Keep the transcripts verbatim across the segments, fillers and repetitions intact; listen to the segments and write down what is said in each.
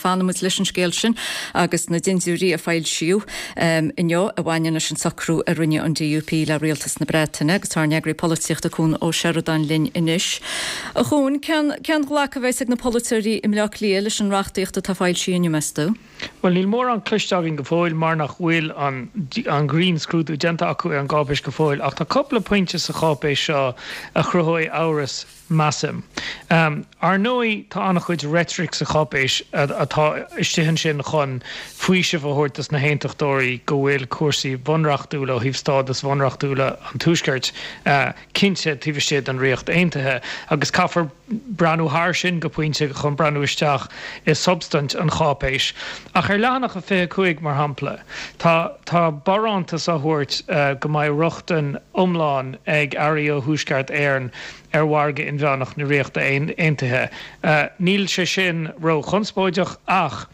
Fanfaidh muid leis an scéal sin agus na dintiúirí a foilsíodh um, inniu a bhaineann leis an socrú a rinne an D U P le rialtas na Breataine, agus tá ár n-eagraí polaitíochta Cuan Ó Seireadáin linn anois. A Chuain, cén glacadh a bheas ag na polaiteoirí i mBleá Cliath leis an reachtaíocht atá foilsithe inniu, meas tú? Well, níl mórán cloiste againn go fóill mar nach bhfuil an, an grinnscrúdú déanta acu ar an gcáipéis go fóill, ach tá cúpla pointe sa cháipéis seo a chruthóidh amhras, measaim. Um, ar ndóigh, tá an-chuid reitric sa cháipéis atá istigh ansin chun faoiseamh a thabhairt dos na haontachtóirí go bhfuil cúrsaí bunreachtúla ó thaobh stádas bunreachtúla an Tuaiscirt uh, cinnte taobh istigh den Ríocht Aontaithe, agus caithfear breathnú thar sin go pointe chun breathnú isteach i substaint an cháipéis. Ach ar leathanach a fiche cúig, mar shampla, tá tá barántas á thabhairt uh, go mbeidh rochtain iomlán ag earraí ó Thuaisceart Éireann ar mhargadh inmheánach na Ríochta Aontaithe. Uh, níl sé sin ró-chonspóideach, ach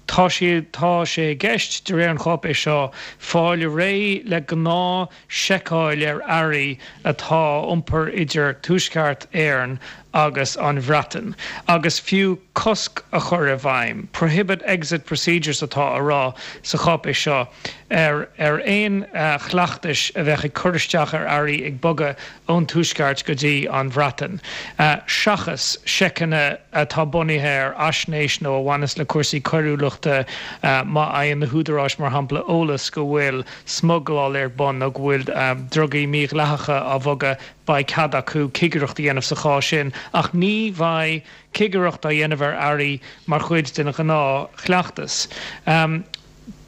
tá sé tá sé i gceist, de réir an cháipéis seo, fáil réidh le gnáth-seiceáil ar earraí atá iompar idir Tuaisceart Éireann agus an Bhreatain, agus fiú cosc a chur i bhfeidhm. "Prohibit exit procedures" atá á rá sa cháipéis seo ar ar aon uh, chleachtais a bheadh ag cur isteach ar earraí ag bogadh ón Tuaisceart go dtí an Bhreatain. Uh, seachas seiceanna atá bunaithe ar fhaisnéis nó a bhaineas le cúrsaí coiriúlachta, uh, má fhaigheann na húdaráis, mar shampla, eolas go bhfuil smugláil ar bun nó go bhfuil um, drugaí mídhleathacha á bhogadh, beidh cead acu cigireacht a dhéanamh sa chás sin, ach ní bheidh cigireacht á dhéanamh ar earraí mar chuid den ghnáthchleachtas. Um,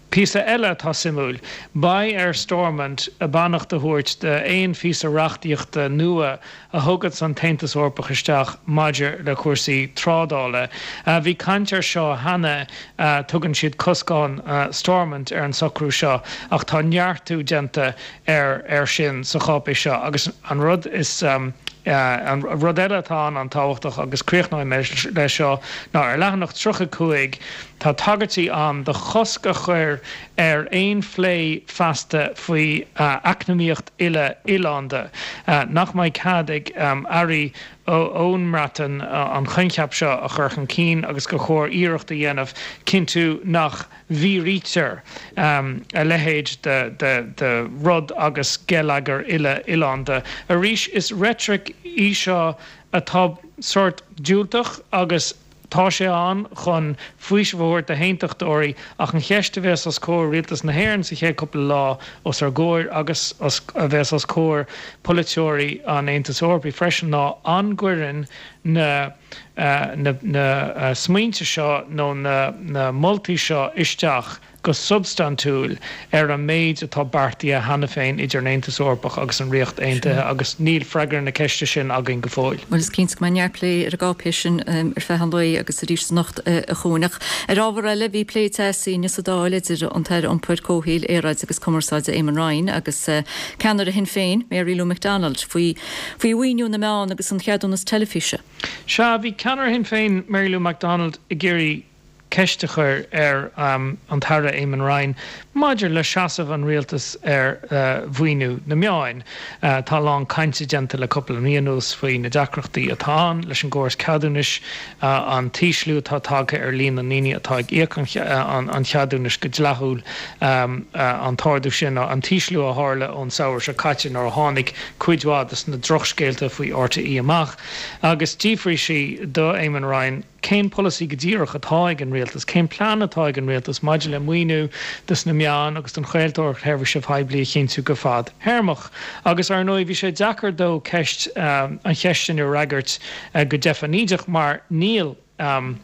Píosa eile atá suimiúil, beidh ar Stormont a beannacht a thabhairt d'aon phíosa reachtaíochta nua a thugann an tAontas Eorpach isteach maidir le cúrsaí trádála. Uh, bhí caint air seo cheana, uh, tugann siad coscán uh, Stormont ar an socrú seo, ach tá neartú déanta ar ar sin sa cháipéis seo. Agus an rud is um, Uh, an rud eile atá an-tábhachtach, agus críochnóidh mé leis seo, ná ar leathanach tríocha cúig tá tagairtí ann do chosc a chur ar aon phlé feasta faoi uh, eacnamaíocht uile oileánda, uh, nach mbeidh cead ag um, airí ón mBreatain uh, an coincheap seo a chur chun cinn, agus gur chóir iarracht a dhéanamh cinntiú nach bhfíoraítear um, a leithéid de, de, de rud agus geilleagar uile oileánda. Arís, is reitric í seo atá sórt diúltach agus tá sé ann chun faoiseamh a thabhairt d'aontachtóirí, ach an cheist a bheas os comhair rialtas na hÉireann sa chéad cúpla lá os ár gcomhair agus a bheas os comhair polaiteoirí an Aontais Eorpaigh freisin ná an gcuireann na uh, na, na uh, smaointe seo nó na, na moltaí seo isteach go substaintiúil ar an méid atá beartaithe cheana féin idir an Aontas Eorpach agus an Ríocht Aontaithe, agus níl freagra na ceiste sin againn go fóill. Well, is cinnte go mbeidh neart plé ar an gcáipéis sin um, ar feadh an lae agus arís anocht uh, a Chuain. Ar ábhar eile, bhí plé teasaí sa Dáil idir an tAire Iompair, Comhshaoil, Aeráide agus Cumarsáide Eamon Ryan agus uh, ceannaire Shinn Féin, Mary Lou McDonald, faoi faoi mhaoiniú na meán agus an cheadúnas teilifíse. Sea, bhí ceannaire Shinn Féin, Mary Lou McDonald, ag iarraidh ceist a chur ar um, an tAire Eamon Ryan maidir le seasamh an rialtas ar uh, mhaoiniú na meán. Uh, tá lán cainte déanta le cúpla mí anuas faoi na deacrachtaí atá ann leis an gcóras ceadúnais, uh, an t-ísliú atá tagtha ar líon na ndaoine atá ag íoc an, an, an cheadúnais go dleathúil, um, uh, an t-ardú sin, an t-ísliú a tharla ón samhradh seo caite nuair a tháinig cuid mhaith de na drochscéalta faoi R T É amach. Agus d'fhiafraigh sí do Eamon Ryan cén polasaí go díreach atá ag an rialtas, cén plean atá ag an rialtas maidir le maoiniú dos na meáin agus don chraoltóireacht sheirbhíse poiblí a chinntiú go fadtéarmach. Agus ar ndóigh bhí sé deacair dó ceist um, an cheist sin a fhreagairt uh, go deifnídeach mar níl um,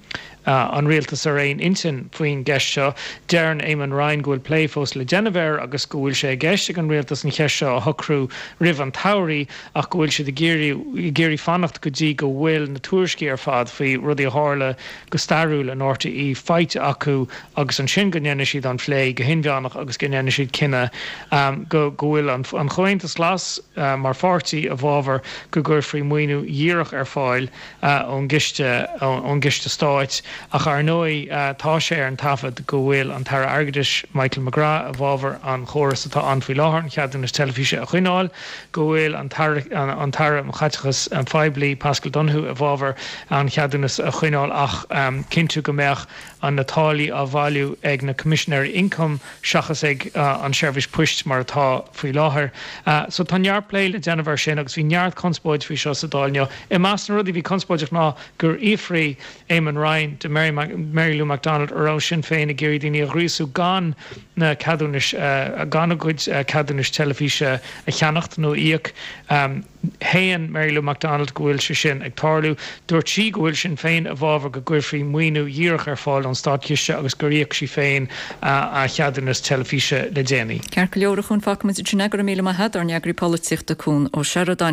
uh, an rialtas ar aon intinn faoin gceist seo. Deireann Eamon Ryan go bhfuil plé fós le déanamh air agus go bhfuil sé i gceist ag an rialtas an cheist seo a shocrú roimh an tsamhradh, ach go bhfuil siad ag iarraidh fanacht go dtí go bhfuil na tuairiscí ar fad faoi rudaí a tharla go stairiúil in R T É faighte acu, agus ansin go ndéanfaidh siad an plé go hinmheánach agus go ndéanfaidh siad cinneadh um, go go bhfuil an, an Comhaontas Glas uh, mar pháirtí i bhfabhar go gcuirfí maoiniú díreach ar fáil uh, ón gciste ón gciste stáit. Ach ar ndóigh tá sé ar an taifead go bhfuil an tAire Airgeadais Michael McGrath i bhfabhar an chóras atá ann faoi láthair, an ceadúnas teilifíse a choinneáil, go bhfuil an an tAire um Chaiteachas Poiblí Paschal Donohoe i bhfabhar an cheadúnas a choinneáil ach cinntiú go mbeadh an na táillí á bhailiú ag na Coimisinéirí Ioncaim seachas ag an Seirbhís Poist mar atá faoi láthair. So tá neart plé le déanamh air sin agus bhí neart conspóid faoi seo sa Dáil inniu. I measc na rudaí a bhí conspóideach ná gur fhiafraigh Eamon Ryan de Mary Mary Lou McDonald an raibh Sinn Féin ag iarraidh daoine a ghríosú gan na ceadúnais gan a gcuid ceadúnais teilifíse a cheannacht nó íoc. Shéan Mary Lou McDonald go bhfuil sé sin ag tarlú. Dúirt sí go bhfuil Sinn Féin i bhfabhar go gcuirfí maoiniú dhíreach ar fáil ón státchiste agus gur íoc sí féin a cheadúnas teilifíse le déanaí. Ceart go leor a Chuain, fágfaimid ansin é, go raibh míle maith agat, ár n-eagraí polaitíochta Cuan Ó Seireadáin.